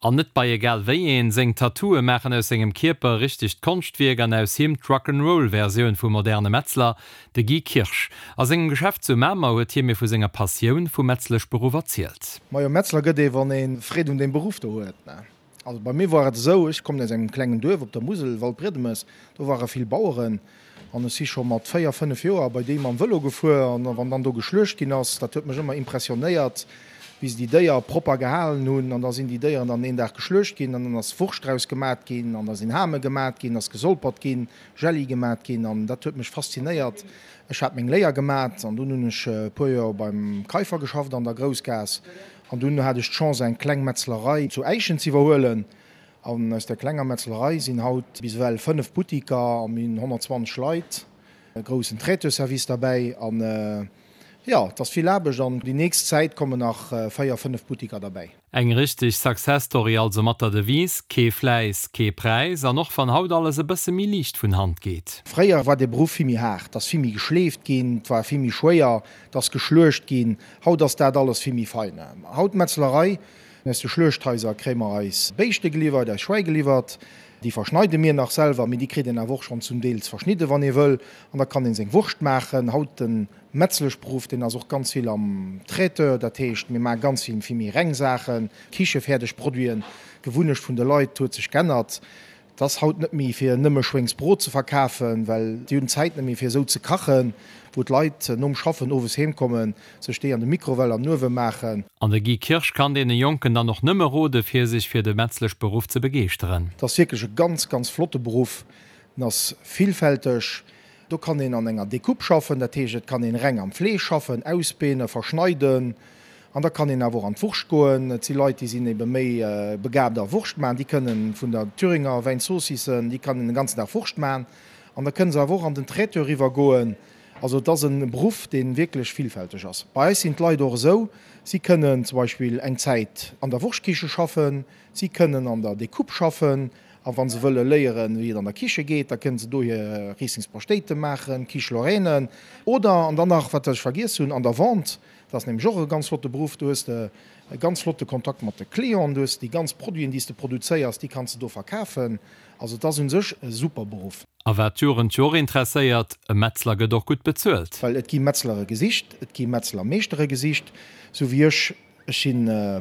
An net bei egal wéi een, seng Tattooe maachen aus sengem Kierper e richtegt Konschtwierk an aus him d'Rock'n'Roll-Versioun vum moderne Metzler, de Guy Kirsch. A sengem Geschäft zu Mamer huet hie mir vu senger Passioun vum Metzleschberuff erzielt. Majo, Metzler gëtt ee wann ee Freed un deem Beruff do huet. Also bei mir war et esou, ech kommen aus engem klengen Duerf op der Musel, Waldbriedemes, do ware vill Baueren an ech si scho mat 4, 5 Joer bei déi mam Vëlo gefuer an wann dann do geschluecht ginn ass, dat huet mech ëmmer impressionéiert, wéi se déi Déier propper gehalen hunn an da sinn déi Déieren dann een Dag geschluecht ginn an dann ass Wurscht draus gemat ginn an da sinn Hame gemat ginn, ass gesolpert ginn, Jelli gemat ginn an dat huet mech faszinéiert. Ech hat meng Léier gemat an dunn hunn ech e puer Joer beim Keifer geschafft an der Groussgaass. An dunn hat ech d'Chance eng kleng Metzlerei zu Äischen z'iwwerhuelen. An aus där klenger Metzlerei sinn haut bis ewell 5 Buttiker a mir hunn 120 Leit, e groussen Traiteur-Service derbäi. An jo, et ass vill Aarbecht an déi nächst Zäit kommen nach 4, 5 Buttiker derbäi. Eng richteg Success Story also mat der Devise, Kee Fläiss, kee Präis. An och wann haut alles e bësse méi liicht vun Hand geet. Fréier war dee Beruff vill méi haart, et ass vill méi geschleeft ginn, et war vill méi schwéier, et ass geschluecht ginn. Haut ass dat alles vill méi fein. Haut d'Metzlerei, aus de Schluechthaiser kréie mer eis Béischte geliwwert, eis Schwäi geliwwert. Déi verschneide mir nach selwer, mee déi kritt een awer och schonn zum Deels verschnidde wann ee wëll. An da kann ee seng Wurscht maachen. Haut de Metzleschberuff, deen ass och ganz vill am Traiteur. Dat heescht, mir maache ganz vill vill méi reng Saachen, kichefäerdeg Produiten. D'Gewunnecht vun de Leit huet sech g'ännert. Et ass haut net méi fir nëmme Schwéngsbrot ze verkafen, well déi hunn d'Zäit net méi fir esou ze kachen, wou d'Leit nom Schaffen owes heem kommen, sech déi an de Mikrowell an den Uewe maachen. An de Guy Kirsch kann deene Jonken dann och nëmme rode fir sech fir de Metzleschberuff ze begeeschteren. Et ass wierklech e ganz, ganz flotte Beruff. En ass villfälteg. Do kann een an enger Découpe schaffen, dat heescht et kann een reng am Fleesch schaffen, ausbeene, verschneiden an da kann een awer och an d'Wurscht goen. Et si Leit, déi sinn ebe méi begaabt a Wurscht maachen, déi kënnen vun der Thüringer Wäinzoossissen, déi kann een den ganzen Dag Wurscht maachen an da kënnen se awer och an den Traiteur eriwwer goen. Also et ass e Beruff, dee wierklech villfälteg ass. Bei eis sinn d'Leit och esou, si kënnen zum Beispill eng Zäit an der Wurschtkicche schaffen, si kënnen an der Découpe schaffen, A wa se wëlle léieren, wéi et an der Kiche geet, da kënnen se do hir Rieslingspaschtéite maachen, Quiche Lorraine. Oder, an dann nach, wat ech vergiess hunn, an der Vente, dat ass nämlech och e ganz flotte Beruff, do hues de e ganz flotte Kontakt mat de Clienten, du hues déi ganz Produiten, déi s de produzéiers, déi kanns de do verkafen. Also et ass u sech e super Beruff. A wat d'Jugend jo och interesséiert, e Metzler gëtt och gutt bezuelt. Well et gi Metzlere gesicht, et gi Metzlermeeschtere gesicht, sou wéi ech. Ech si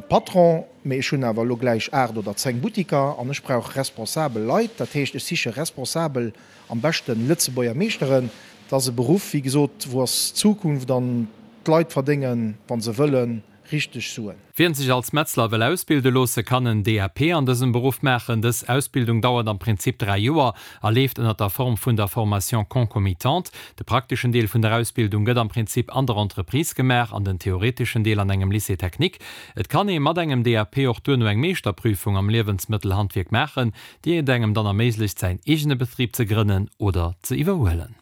Patron, mee ech hunn awer elo gläich 8 oder 10 Buttiker an ech brauch responsabel Leit. Dat heescht, ech siche responsabel, am beschten Lëtzebuerger Meeschteren. Dat ass e Beruff, wéi gesot, wou ass d'Zukunft an d'Leit verdéngen, wa se wëllen, richteg Suen. Wien sech als Metzler wëll ausbilde loosse, kann en DAP an dësem Beruff maachen. Dës Ausbildung dauert am Prinzip 3 Joer a leeft ënnert der Form vun der Formation concomitante. De prakteschen Deel vun der Ausbildung gëtt am Prinzip an der Entreprise gemaach an den theoreteschen Deel an engem Lycée technique. Et kann ee mat engem DAP och duerno eng Meeschterprüfung am Liewensmëttelhandwierk maachen, déi et engem dann erméiglecht säin eegene Betrib ze grënnen oder ze iwwerhuelen.